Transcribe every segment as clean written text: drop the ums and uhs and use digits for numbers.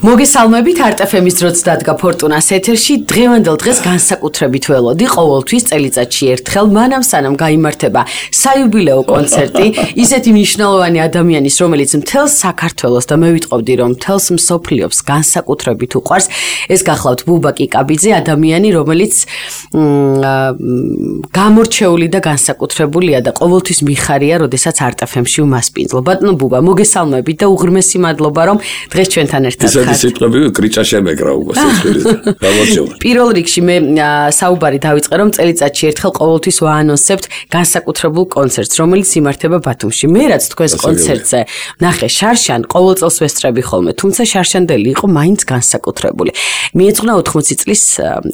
მოგესალმებით არტ-FM-ის დროც დადგა ფორტუნას ეთერში. დღევანდელ დღეს განსაკუთრებით ველოდი ყოველთვის წელიწადში ერთხელ მანამ სანამ გაიმართება საიუბილეო კონცერტი ისეთი მნიშვნელოვანი ადამიანის, რომელიც მთელს საქართველოს და მე ვიტყობდი რომ მთელს მსოფლიოს განსაკუთრებით უყვარს. ეს გახლავთ ბუბა კიკაბიძე, ადამიანი, რომელიც გამორჩეული და განსაკუთრებულია და ყოველთვის მიხარია, როდესაც არტ-FM-ში უმასპინძლო. ბატონო ბუბა, მოგესალმებით და უღრმესი მადლობა რომ დღეს ჩვენთან ერთად ხართ. სიტყვები კრიჭა შემეკრა უბრალოდ. პირველ რიგში მე საუბარი დავიწყე რომ წელიწადში ერთხელ ყოველთვის ვაანონსებთ განსაკუთრებულ კონცერტს, რომელიც იმართება ბათუმში. მე რაც თქვენს კონცერტზე ნახე შარშან, ყოველ წელს ვესწრები ხოლმე, თუმცა შარშანდელი იყო მაინც განსაკუთრებული. მიეძღვნა 80 წლის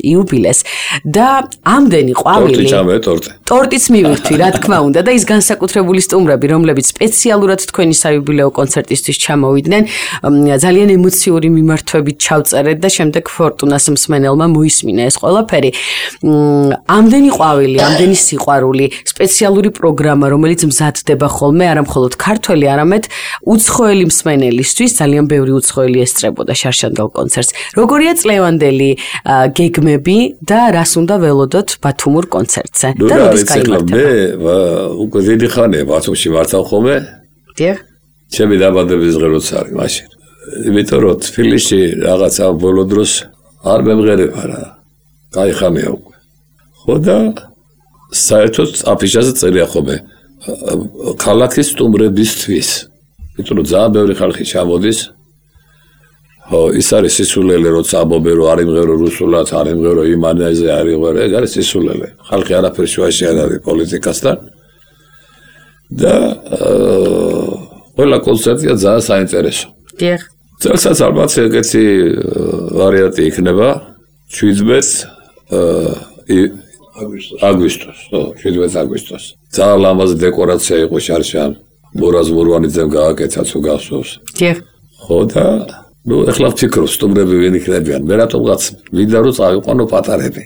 იუბილეს და ამდენი ყვავილი ტორტიც მივირთვი, რა თქმა უნდა და ის განსაკუთრებული სტუმრები, რომლებიც სპეციალურად თქვენი საიუბილეო კონცერტისთვის ჩამოვიდნენ, ძალიან ემოციური მიმართვებით ჩავწერეთ და შემდეგ ფორტუნას მსმენელმა მოისმინა ეს ყველაფერი. ამდენი ყვავილი, ამდენი სიყვარული, სპეციალური პროგრამა, რომელიც მზადდება ხოლმე არა მხოლოდ ქართველი, არამედ უცხოელი მსმენელისთვის, ძალიან ბევრი უცხოელი ესწრებოდა შარშანდელ კონცერტს. როგორია წლევანდელი გეგმები და რას უნდა ველოდოთ ბათუმურ კონცერტზე? და როდის გაიმართება? მე უკვე დიდი ხანია ბათუმში მართავ ხოლმე. დიახ. ჩემი დაბადების დღე როცა არის მაშინ. იმიტომ რომ თბილისში რაღაცა ბოლო დროს არ მემღერება რა. კაი ხანია უკვე. ხო და საერთოდ აფიშაზე წერია ხოლმე ქალაქის სტუმრებისთვის. იმიტომ რომ ძალიან ბევრი ხალხი ჩამოდის. ხო, ის არის სისულელე, როცა ამბობენ რომ არ იმღერო რუსულად, არ იმღერო იმანაზე, არ იმღერო, ეგ არის სისულელე. ხალხი არაფერ შუაში არ არის პოლიტიკასთან. და ყველა კონცერტია ძალიან საინტერესო. დიახ. წელსაც ალბათ ეგეთი ვარიანტი იქნება 17 აგვისტოს, 17 აგვისტოს. ძალიან ლამაზი დეკორაცია იყო შარშან, მურაზ მურვანიძემ გააკეთა თუ გახსოვს. დიახ. ხო და ნუ ეხლა ვფიქრობ სტუმრები ვინ იქნებიან. მე რატომღაც მინდა რომ წავიყვანო პატარები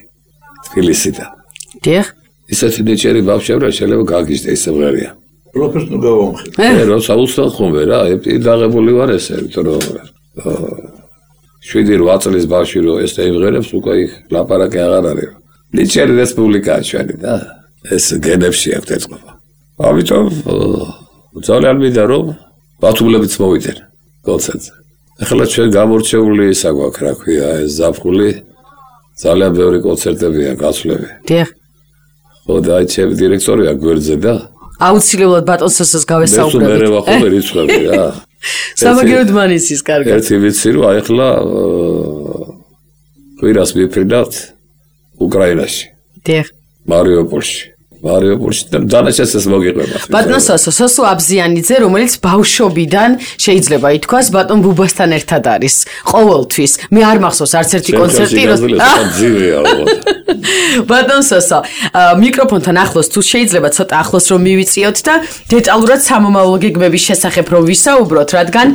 თბილისიდან. დიახ. ისეთი ნიჭიერი ბავშვები შეიძლება გაგიჟდე ისე მღერია. პროფესორ გავამხილე. რა საუბრობ ხოლმე რა, დაღებული ვარ ესე, იმიტომ რომ 7-8 წლის ბავშვი რო ეს დაიმღერებს, უკვე იქ ლაპარაკი აღარ არის. ნიჭიერი რესპუბლიკაა ჩვენი და ეს გენებში აქვს ეწყობა. ამიტომ ძალიან მინდა რომ ბათუმელებიც მოვიდნენ კონცერტზე. ახლა ჩვენ გამორჩეული ისა გვაქვს, რა ქვია, ეს ზაფხული ძალიან ბევრი კონცერტებია გასვლები. დიახ. ხო და აი ჩემი დირექტორია გვერდზე და აუცილებლად ბატონსოსს გავესაუბრებთ. მე რა ხოლმე რიცხვები რა. სამაგიეროდ მანისის კარგად. ერთი ვიცი რომ აი ახლა კვირას მიფრინავთ უკრაინაში. დიახ. მარიუპოლში და დანაშაულს მოგიყვება. ბატონ სოსო აბზიანიძე, რომელიც ბავშვობიდან შეიძლება ითქვას ბატონ ბუბასთან ერთად არის ყოველთვის. მე არ მახსოვს არც ერთი კონცერტი ბატონ სოსო, მიკროფონთან ახლოს თუ შეიძლება ცოტა ახლოს რომ მივიწიოთ და დეტალურად სამომავლო გეგმების შესახებ რომ ვისაუბროთ, რადგან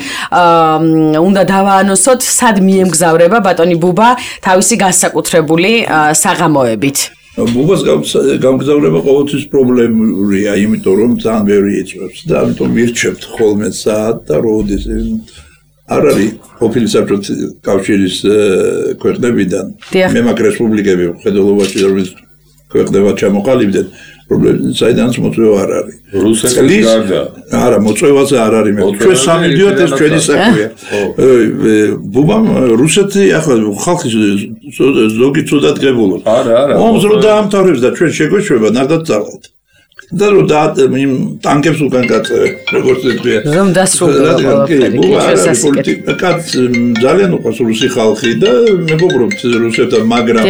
უნდა დავაანონსოთ, სად მიემგზავრება ბატონი ბუბა თავისი განსაკუთრებული საღამოებით. ბუბას გამგზავრება ყოველთვის პრობლემურია, იმიტომ რომ ძალიან ბევრი იწვევს და ამიტომ ვირჩევთ ხოლმე საათ და როდის არ არის ყოფილი საბჭოთა კავშირის ქვეყნებიდან მე მაგ რესპუბლიკები მხედველობაში რომელიც ქვეყნებად ჩამოყალიბდნენ პრობლემები საიდანაც მოწვევა არ არის. რუსეთის გარდა. არა, მოწვევაზე არ არის მე. ჩვენ სამიდიოთ ეს ჩვენი საქმეა. ბუბამ რუსეთი ახლა ხალხი ზოგი ცუდად გებულობს. არა. ომს რო დაამთავრებს და ჩვენ შეგვეშვება ნახდათ წავალთ. და რო ტანკებს უკან გაწევენ, როგორც ეთქვია. რომ დასრულდება პოლიტიკა. ძალიან უყვარს რუსი ხალხი და მეგობრობთ რუსებთან, მაგრამ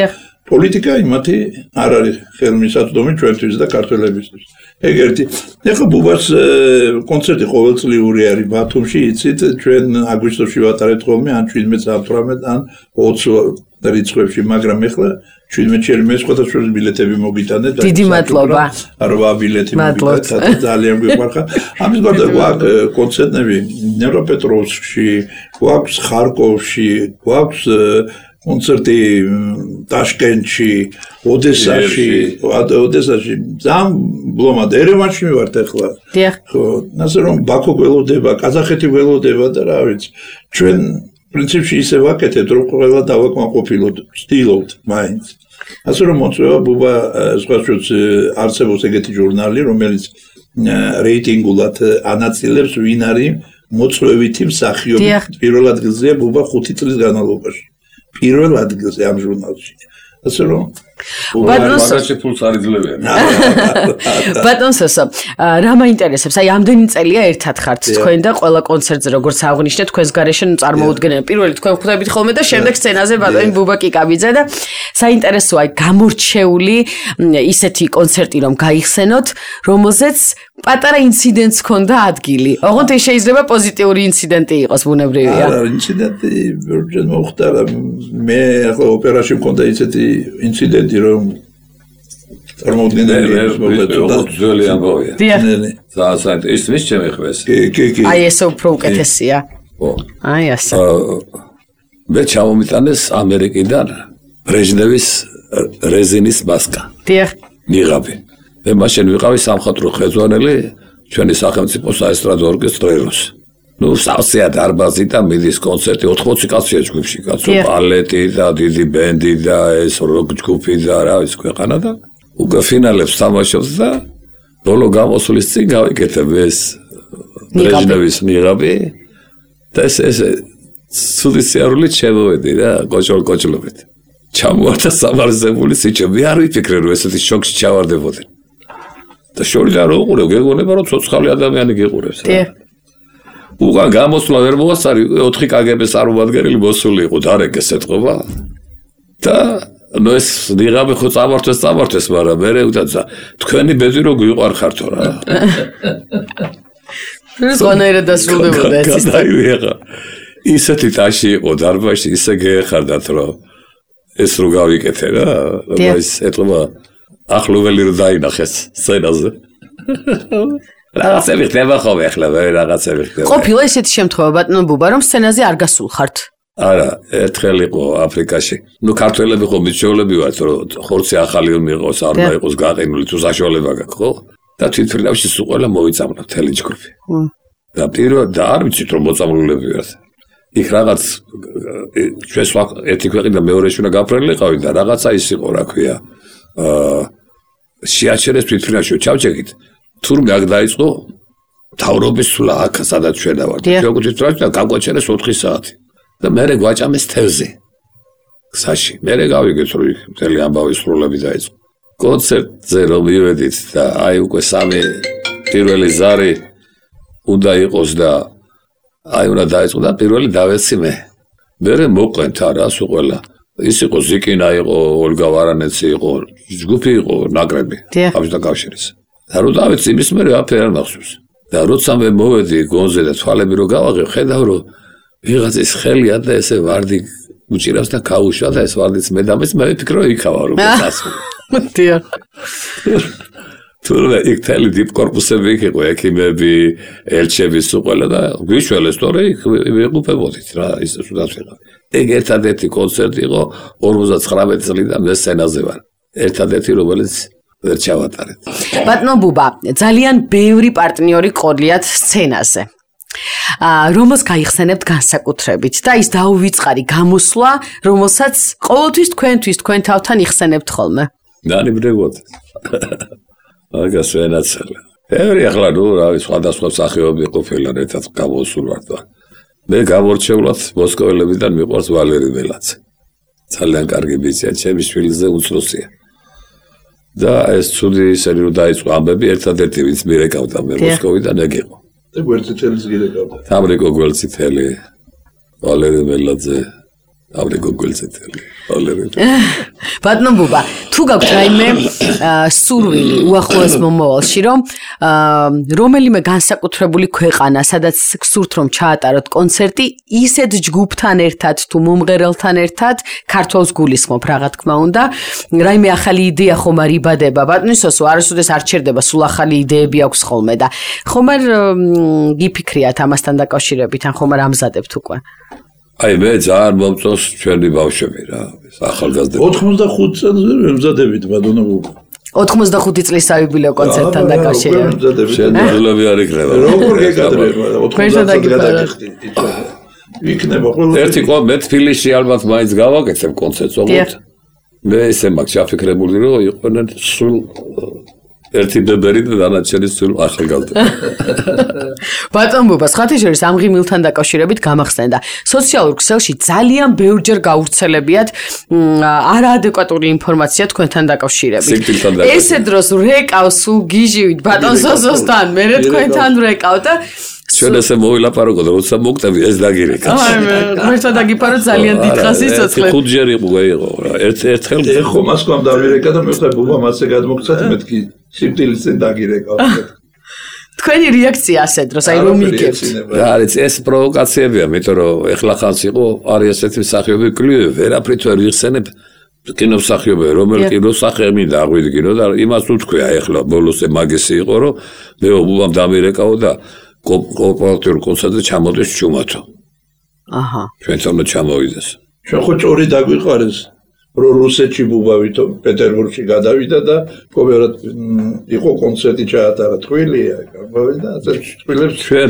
პოლიტიკა იმათი არ არის ხელმისაწვდომი ჩვენთვის და ქართველებისთვის. ეგ ერთი. ეხლა ბუბას კონცერტი ყოველწლიური არის ბათუმში, იცით, ჩვენ აგვისტოში ვატარებთ ხოლმე ან 17-18 ან 20 რიცხვებში, მაგრამ ეხლა 17-ში მე სხვადასხვა ბილეთები მოგიტანეთ და დიდი მადლობა. 8 ბილეთი მოგიტანეთ, ძალიან გვიყვარხარ. ამის გარდა გვაქვს კონცერტები ნევროპეტროვსკში, გვაქვს ხარკოვში, გვაქვს კონცერტი ტაშკენტში, ოდესაში, ძალიან ბლომად ერევანში მივართ ახლა. დიახ. ხო, ასე რომ ბაქო გველოდება, ყაზახეთი გველოდება და რა ვიცი. ჩვენ პრინციპში ისე ვაკეთებთ, რომ ყველა დავაკმაყოფილოთ, ვცდილობთ მაინც. ასე რომ მოწვევა ბუბა სხვაშიც არსებობს ეგეთი ჟურნალი, რომელიც რეიტინგულად ანაწილებს ვინ არის მოწვევითი მსახიობი. პირველ ადგილზეა ბუბა 5 წლის განმავლობაში. პირველ ადგილზე ამ ჟურნალში. ასე რომ მაგაში ფულს არ იძლევიან. ბატონსო, რა მაინტერესებს? აი ამდენი წელია ერთად ხართ თქვენ და ყველა კონცერტზე როგორც აღნიშნეთ, თქვენს გარეშე წარმოუდგენელი. პირველი თქვენ ხვდებით ხოლმე და შემდეგ სცენაზე ბატონი ბუბა კიკაბიძე და საინტერესოა გამორჩეული ისეთი კონცერტი რომ გაიხსენოთ, რომელზეც პატარა ინციდენტს ჰქონდა ადგილი. ოღონდ ეს შეიძლება პოზიტიური ინციდენტი იყოს, ბუნებრივია. არა, ინციდენტი ვერჯერ მოხდა, მე ახლა ოპერაში მქონდა ისეთი ინციდენტი რომ წარმოუდგენელი ძველი ამბავია. საერთოდ ის მის შემეხეს. კი. აი ეს უფრო უკეთესია. აი ასე. მე ჩამომიტანეს ამერიკიდან ბრეჟნევის რეზინის მასკა. დიახ. ნიღაბი. მე მაშინ ვიყავი სამხატვრო ხელმძღვანელი ჩვენი სახელმწიფო საესტრადო ორკესტრეროს. სავსეა დარბაზი და მიდის კონცერტი 80 კაცია ჯგუფში, კაცო, ბალეტი და დიდი ბენდი და ეს როკ ჯგუფი და რა ის ქვეყანა და უკვე ფინალებს თამაშობს და ბოლო გამოსვლის წინ გავიკეთებ ეს ბრეჟნევის ნიღაბი და ეს ცუდი სიარულით შემოვედი რა, კოჭლობით. ჩამოვარდა სამარზებული სიჩო, მე არ ვიფიქრე რომ ესეთი შოქში ჩავარდებოდი. და შორიდან რო უყურებ, გეგონება რომ ცოცხალი ადამიანი გიყურებს რა. უგან გამოსვლა ვერ მოასწარი 4 კგბ-ს წარმომადგენელი მოსული იყო დარეკეს ეთყობა და ნუ ეს ნიღაბი ხო წამართვეს, მაგრამ მე უდაცა თქვენი ბედი რო გვიყვარხართო რა. ზონერა დასრულდებოდა ეს ისტორია. ისეთი ტაში იყო დარბაზში, ისე გეეხარდათ რომ ეს რო გავიკეთე რა, ის ეთყობა ახლოველი რო დაინახეს სცენაზე. რაღაცები ხდება ხოლმე ახლა რაღაცები ხდება. ყოფილა ესეთი შემთხვევა ბატონო ბუბა რომ სცენაზე არ გასულხართ? არა, ერთხელ იყო აფრიკაში. ნუ ქართველები ხო მიჩვეულები ვართ რომ ხორცი ახალი მიიღოს, არ უნდა იყოს გაყინული, თუ საშუალება გაქვს, ხო? და თვითმფრინავში სულ ყველა მოიწამლა მთელი ჯგუფი. და პირველ და არ ვიცით რომ მოწამლულები ვართ. იქ რაღაც ჩვენს ერთი ქვეყნიდან მეორეში უნდა გაფრენილიყავი და რაღაცა ის იყო, რა ქვია. შეაჩერეს თვითმფრინავში ჩავჭეგით. თურმე აქ დაიწყო თავრობის სულა აქ სადაც ჩვენ ვართ. როგორც თვითმფრინავში გაგვაჩერეს 4 საათი. და მე გვაჭამეს თევზი. გზაში. მე გავიგეთ რომ მთელი ამბავი სრულები დაიწყო. კონცერტზე რომ მივედით და აი უკვე სამი პირველი ზარი უნდა იყოს და აი უნდა დაიწყო და პირველი დავეცი მე. მე მოყვენთ არა სულ ყველა. ის იყო ზიკინა იყო, ოლგა ვარანეცი იყო, ჯგუფი იყო, ნაკრები. ამის დაკავშირეს. და რო დავეცი იმის მე აფერ არ მახსოვს. და როცა მე მოვედი გონზე და თვალები რო გავაღებ, ხედავ რომ ვიღაცის ხელია და ესე ვარდი უჭირავს და გაუშვა და ეს ვარდიც მე დამეს მე ვფიქრე რომ იქავა რომ გასულ. დიახ. თურმე იქ თელი დიპ კორპუსები იქ იყო ექიმები, ელჩები სულ ყველა და გვიშველეს თორე იქ ვიყופებოდით რა ის სულაც ვიყავ. ეგ ერთადერთი კონცერტი იყო 59 წლიდან მე სცენაზე ვარ. ერთადერთი რომელიც ვერ ჩავატარეთ. ბატონო ბუბა, ძალიან ბევრი პარტნიორი ყოლიათ სცენაზე. რომელს გაიხსენებთ განსაკუთრებით და ის დაუვიწყარი გამოსვლა, რომელსაც ყოველთვის თქვენ თავთან იხსენებთ ხოლმე. ნანი ბრეგოთ. აგას ვენაცალა. ბევრი ახლა ნუ რა ვიცი სხვადასხვა სახეობები ყოფილა ერთად გამოსულ ვარ და მე გამორჩეულად მოსკოველებიდან მიყვარს ვალერი მელაძე. ძალიან კარგი ბიჭია, ჩემი შვილზე უცროსია. და ეს ცუდი ისეთი რომ დაიწყო ამბები ერთადერთი ვინც მირეკავდა მე მოსკოვიდან ეგ იყო. და გვერდითელის გირეკავდა. ამრიკო გვერდითელი ვალერი მელაძე ამრიკო გვერდითელი ვალერი. ბატონო ბუბა, თუ გაქვთ რაიმე სურვილი უახლოეს მომავალში რომ რომელიმე განსაკუთრებული ქვეყანა, სადაც გსურთ რომ ჩაატაროთ კონცერტი, ისეთ ჯგუფთან ერთად თუ მომღერალთან ერთად, ქართველს გულისხმობ რა თქმა უნდა, რაიმე ახალი იდეა ხომ არ იბადება, ბატონისოსო, არასოდეს არ ჩერდება, სულ ახალი იდეები აქვს ხოლმე და ხომ არ გიფიქრიათ ამასთან დაკავშირებით, ან ხომ არ ამზადებთ უკვე? აი მე ძალიან მომწონს ჩვენი ბავშვები რა, ახალგაზრდები. 85 წელზე ვემზადებით ბატონო ბუბა. 85 წლის საიუბილეო კონცერტთან დაკავშირებით. შენ ძულები არ იქნება. როგორ გეკადრება? 85 წელს გადაგიხდი. იქნება ყველა. ერთი მე თბილისში ალბათ მაინც გავაკეთებ კონცერტს, ოღონდ მე ესე მაქვს ჩაფიქრებული, რომ იყვნენ სულ ერთი ბებერი და დანარჩენი სულ ახალგაზრდა. ბატონ ბუბა, სხვათა შორის ამ ღიმილთან დაკავშირებით გამახსენდა. სოციალურ ქსელში ძალიან ბევრჯერ გავრცელებიათ არაადეკვატური ინფორმაცია თქვენთან დაკავშირებით. ესე დროს რეკავს სულ გიჟივით ბატონ სოსოსთან, მე თქვენთან რეკავ და ჩვენ ესე მოვილაპარაკოთ, როცა მოგტები ეს დაგირეკა. მერტო დაგიფარო ძალიან დიდხანს სიცოცხლე. ხუთჯერ იყო რა. ერთხელ ეხო მასკომ დავირეკა და მე ვხდა ბუბამ ასე გადმოგცათ მეთქი სიკვდილის წინ დაგირეკა. თქვენი რეაქცია ასე დროს, აი რომ მიგებთ. რა არის ეს პროვოკაციებია, მეტყვი რომ ეხლა ხანს იყო არის ესეთი მსახიობი კლიო, ვერაფრით ვერ იხსენებ კინომსახიობი, რომელი კინოსახიობი მინდა აღვიდგინო და იმას უთქვია ეხლა ბოლოს მაგისი იყო, რომ მე ბუბამ დამირეკაო და კოოპერატიულ კონცერტზე ჩამოდეს ჩუმათო. აჰა. ჩვენთან ჩამოვიდეს. ჩვენ ხო ჭორი დაგვიყარეს, რომ რუსეთში ბუბავითო პეტერბურგში გადავიდა და კოოპერატ იყო კონცერტი ჩაატარა თბილისია, გამოვიდა ასე თბილისში ჩვენ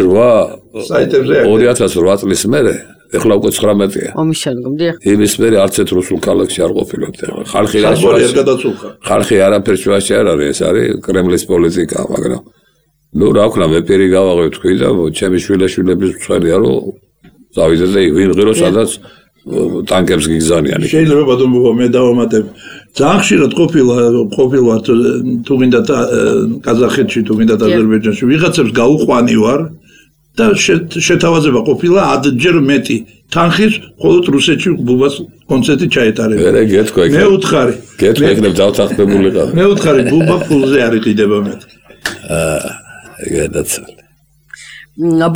2008 წლის მერე, ეხლა უკვე 19-ია. ომის შემდგომ დიახ. იმის მერე არც ერთ რუსულ ქალაქში არ ყოფილებთ. ხალხი არაფერს შუაში არ არის, ეს არის კრემლის პოლიტიკა, მაგრამ ნუ რა ვქნა მე პირი გავაღებ თქვი და ჩემი შვილიშვილების მწვერია რომ დავიდე და ვიმღერო სადაც ტანკებს გიგზავნიან. შეიძლება ბატონ ბუბა მე დავამატებ. ძალიან ხშირად ყოფილა თუ გინდა ყაზახეთში თუ გინდა აზერბაიჯანში ვიღაცებს გაუყვანი ვარ და შეთავაზება ყოფილა 10-ჯერ მეტი თანხის მხოლოდ რუსეთში ბუბას კონცერტი ჩაეტარება. მე უთხარი. გეტყვი ეგრე დავთანხმებულიყავ. მე უთხარი ბუბა ფულზე არ იყიდება მეთქი. გადაცვალე.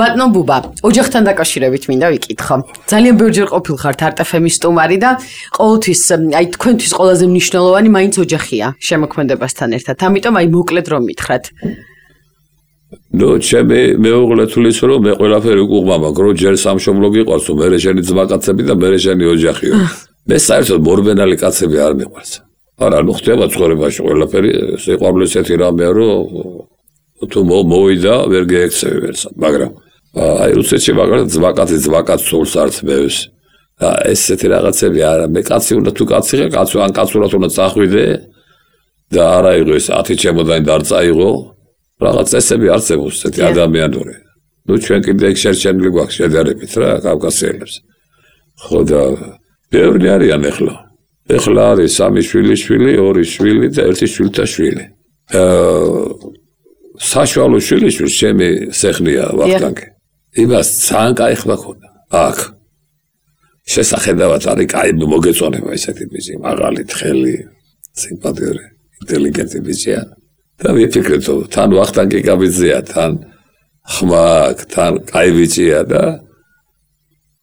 ბატონ ბუბა, ოჯახთან დაკავშირებით მინდა ვიკითხო. ძალიან ბევრჯერ ყოფილხართ არტ-ფემის სტუმარი და ყოველთვის აი თქვენთვის ყველაზე მნიშვნელოვანი მაინც ოჯახია შემოქმედებასთან ერთად. ამიტომ აი მოკლედ რომ მითხრათ. ნუ ჩემი მეუღლე თulis რომ მე ყველაფერი უკუღმა, მაგრამ ჯერ სამშობლო გიყვარს, მე შენი ძმაკაცები და მე შენი ოჯახიო. მე საერთოდ მორბენალი კაცები არ მიყვარს. არა, ნუ ხდება ცხოვრებაში ყველაფერი სიყვარული ესეთი რამეა, რომ თუ მოვიდა ვერ გეექცევი ვერცად, მაგრამ აი რუსეთში მაგალითად ძმაკაც სულს არც მევის. და ესეთი რაღაცები არა, მე კაცი უნდა თუ კაცი ხარ, ან კაცურად უნდა წახვიდე და არა იყო ეს 10 ჩემოდანი დარწაიღო. რაღაც წესები არსებობს ესეთი ადამიანური. ნუ ჩვენ კიდე ეგ შერჩენილი გვაქვს შედარებით რა კავკასიელებს. ხო და ბევრი არიან ეხლა. ეხლა არის 3 შვილიშვილი, 2 შვილი და 1 შვილთა შვილი. საშუალო შვილიშვილს ჩემი სეხნია ვახტანგი. იმას ძალიან კაი ხმა ქონდა. აქ შესახედავად არის კაი მოგეწონება ესეთი ბიჭი, მაღალი თხელი, სიმპათიური, ინტელიგენტი ბიჭია. და ვიფიქრეთ, თან ვახტანგი გაბიძია, თან ხმა, თან კაი ბიჭია და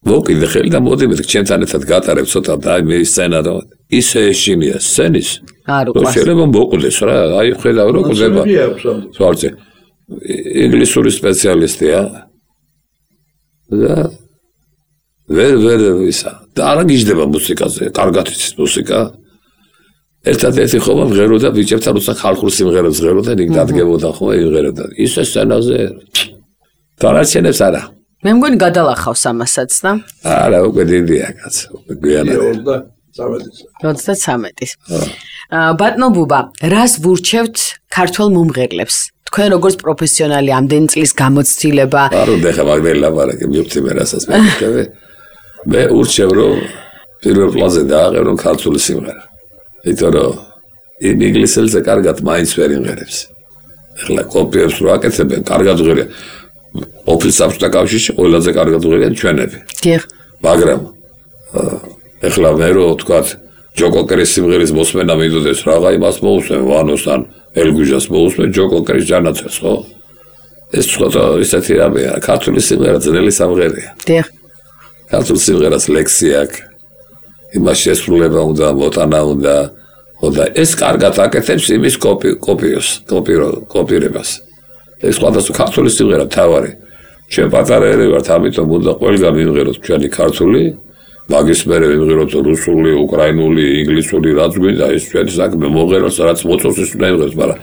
მოკიდე ხელი და მოდიმეთ ჩემთან ერთად გატარებ ცოტა და აი მე სცენა და ისე ეშინია სცენის. არ უყვარს. შეიძლება მოკვდეს რა, აი ხედავ რომ კვდება. სვარცე. ინგლისური სპეციალისტია. და ვერ ისა. და არ გიждდება მუსიკაზე, კარგად იცის მუსიკა. ერთადერთი ხომა მღეროდა ბიჭებთან როცა ხალხურ სიმღერებს მღეროდა, იქ დადგებოდა ხოლმე იმღეროდა. ისე სცენაზე დანარჩენებს არა. მე მგონი გადალახავს ამასაც და არა, უკვე დიდია კაც, უკვე გვიანად. 33-ის. ბატონ ბუბა, რას ვურჩევთ ქართველ მომღერლებს? თქვენ როგორც პროფესიონალი ამდენი წლის გამოცდილება. არ უნდა ხა მაგდენ ლაპარაკი მივხვდი მე რასაც მეკითხები. მე ურჩევ რომ პირველ პლანზე დააყენო ქართული სიმღერა. იმიტომ რომ იმ ინგლისელზე კარგად მაინც ვერ იმღერებს. ეხლა კოპიებს რო აკეთებენ, კარგად ღირია. ოფის საბჭოთა კავშირში ყველაზე კარგად ღირიან ჩვენები. დიახ. მაგრამ ეხლა მე რო ვთქვათ ჯო კოკერის სიმღერის მოსმენა მინდოდეს რაღა იმას მოусვენ ვანოსთან ელგუჟას მოусვენ ჯო კოკერის ჯანაცებს ხო? ეს ცოტა ისეთი რამეა, ქართული სიმღერა ძნელი სამღერია. დიახ. ქართულ სიმღერას ლექსი აქვს. იმას შესრულება უნდა, მოტანა უნდა, ხოდა ეს კარგად აკეთებს იმის კოპირებას. ეს სხვადასხვა ქართული სიმღერა თავარი. ჩვენ პატარაები ვართ, ამიტომ უნდა ყველგან ვიმღეროთ ჩვენი ქართული, მაგის მერე ვიმღეროთ რუსული, უკრაინული, ინგლისური, რაც გვინდა, ეს ჩვენი საქმე მომღეროს, რაც მოწონს ის უნდა იმღეროს, მაგრამ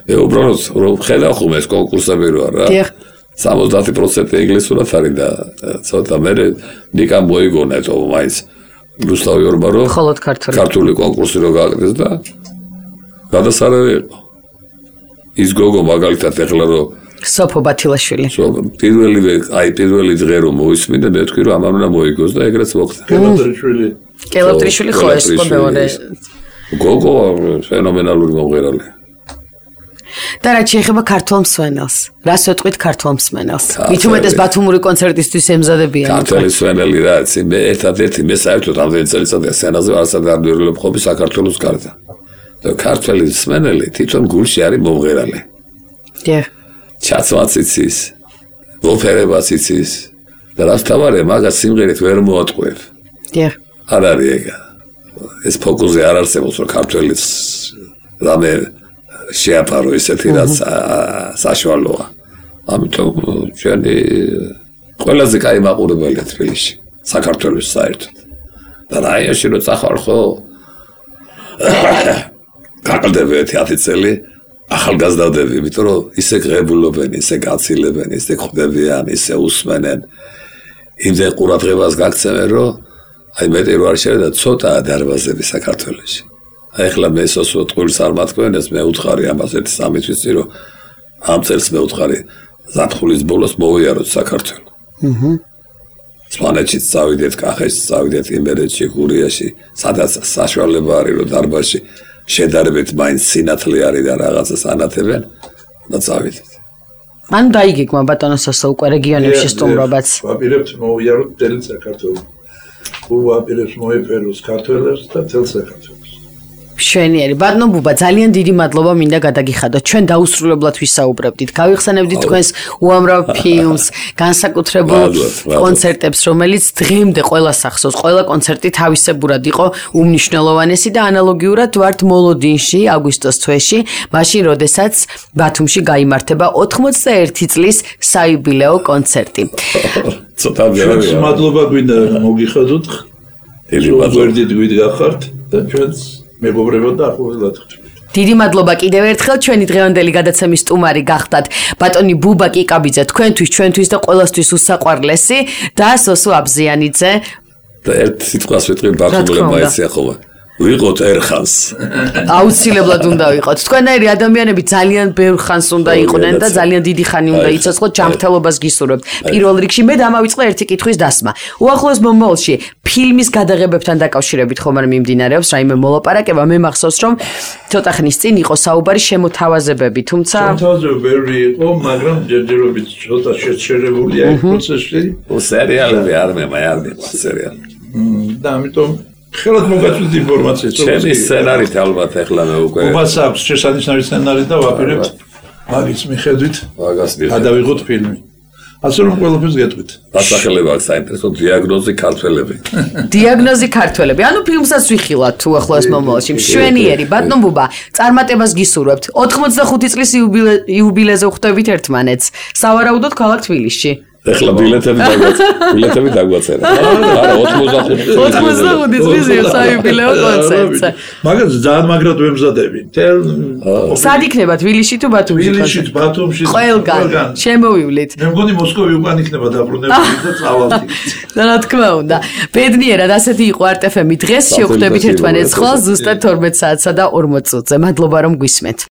მე უბრალოდ რომ ხედავ ხომ ეს კონკურსები რო არა. 70% ინგლისურად არის და ცოტა მე ნიკამ მოიგონა თო მაინც რუსთავი ორბა რომ მხოლოდ ქართული კონკურსი რო გააკეთეს და გადასარევი იყო ის გოგო მაგალითად ეხლა რომ სოფო ბათილაშვილი პირველი დღე რომ მოისმინე მე თქვი რომ ამან უნდა მოიგოს და ეგრეც მოხდა კელოტრიშვილი ხო ეს ყობეონე გოგო ფენომენალური მომღერალი და რაც შეეხება ქართულ მსვენელს რას ვეთქვით ქართულ მსვენელს მით უმეტეს ბათუმური კონცერტისთვის ემზადებიან ქართული მსვენელი რაც მე ერთადერთი მე საერთოდ ამდენი წელიწადია სცენაზე არასად არ ვერილობ ხოლმე საქართველოს გარდა და ქართული მსვენელი თვითონ გულში არის მომღერალი ჩაცვაც იცის ოპერებაც იცის და რაც თავარია მაგას სიმღერით ვერ მოატყვევ არ არის ეგა ეს ფოკუსი არ არსებობს რომ ქართველის რამე შეაფარო ისეთი რაც საშუალოა ამიტომ ჩვენი ყველაზე კაი მაყურებელია თბილისში საქართველოს საერთოდ და რაიონში რო წახვალ ხო გაყალდები 10 წელი ახალგაზრდები იმიტომ რომ ისე ღებულობენ ისე გაცილებენ ისე ხვდებიან ისე უსმენენ იმდენ ყურადღებას გაქცევენ რომ აი მეტი რო არ შეიძლება და ცოტა დარბაზები საქართველოში ეხლა მე სოსო ტყუილს არ მათქვენეს მე უთხარი ამას 1-3 თვის წინ რომ ამ წელს მე უთხარი ზაფხულის ბოლოს მოვიაროთ საქართველო სვანეთში წავიდეთ კახეთში წავიდეთ იმერეთში გურიაში სადაც საშუალება არის რომ დარბაზში შედარებით მაინც სინათლე არის და რაღაცას ანათებენ და წავიდეთ მან დაიგეგმა ბატონო სოსო უკვე რეგიონებში სტუმრობაც ვაპირებთ მოვიაროთ მთელ საქართველოს ვაპირებთ მოეფეროს ქართველებს და მთელ საქართველოს შვენიერი ბატონო ბუბა ძალიან დიდი მადლობა მინდა გადაგიხადოთ ჩვენ დაუსრულებლად ვისაუბრებდით გავიხსენებდით თქვენს უამრავ ფილმს განსაკუთრებულ კონცერტებს რომელიც დღემდე ყველას ახსოვს ყველა კონცერტი თავისებურად იყო უმნიშვნელოვანესი და ანალოგიურად ვართ მოლოდინში აგვისტოს თვეში მაშინ როდესაც ბათუმში გაიმართება 91 წლის საიუბილეო კონცერტი ცოტა ბევრია მადლობა გვინდა მოგიხადოთ გვერდით გვიდგახართ და ჩვენს მეგობრებო და ახლობლად ხდება. დიდი მადლობა კიდევ ერთხელ ჩვენი დღევანდელი გადაცემის სტუმარი გახდათ ბატონი ბუბა კიკაბიძე ჩვენთვის და ყველასთვის უსაყვარლესი და სოსო აბზიანიძე და ერთ სიტყვას ვიტყვი ბათუმელებმა ეცია ხოლმე ვიყოთ ერხანს აუცილებლად უნდა ვიყოთ თქვენაირი ადამიანები ძალიან ბევრ ხანს უნდა იყვნენ და ძალიან დიდი ხანი უნდა იცოცხლოთ ჯანმრთელობას გისურვებთ პირველ რიგში მე დამავიწყე ერთი კითხვის დასმა უახლოეს მომავალში ფილმის გადაღებებთან დაკავშირებით ხომ არ მიმდინარეობს რაიმე მოლაპარაკება მე მახსოვს რომ ცოტა ხნის წინ იყო საუბარი შემოთავაზებები თუმცა შემოთავაზებები იყო მაგრამ ჯერჯერობით ცოტა შეჩერებულია ეს პროცესი სერიალები არ მემა სერიალი და ამიტომ ხელად მოგაწვით ინფორმაციას. ჩემი სცენარით ალბათ ეხლა მე უკვე. უბას აქვს შესანიშნავი სცენარი და ვაპირებთ მაგის მიხედვით გადავიღოთ ფილმი. ასე რომ ყველაფერს გეტყვით. დასახელება აქვს საინტერესო დიაგნოზი ქართველები. დიაგნოზი ქართველები. ანუ ფილმსაც ვიხილავთ თუ ახლოს მომავალში. შვენიერი ბატონ ბუბა, წარმატებას გისურვებთ. 85 წლის იუბილეზე ხვდებით ერთმანეთს. სავარაუდოდ ქალაქ თბილისში. ეხლა ბილეთები დაგვაწერა. არა 85 წლის საიუბილეო კონცერტზე. მაგას ძალიან მაგრად ვემზადები. სად იქნება თბილისში თუ ბათუმში? თბილისში, ბათუმში. ყველგან. შემოვივლით. მე მგონი მოსკოვი უკან იქნება დაბრუნებული და წავალთ. რა თქმა უნდა. ბედნიერად ასეთი იყო არტ-FM-ი დღეს შევხვდებით ერთმანეთს ხოლმე ზუსტად 12 საათსა და 40 წუთზე. მადლობა რომ გვისმენთ.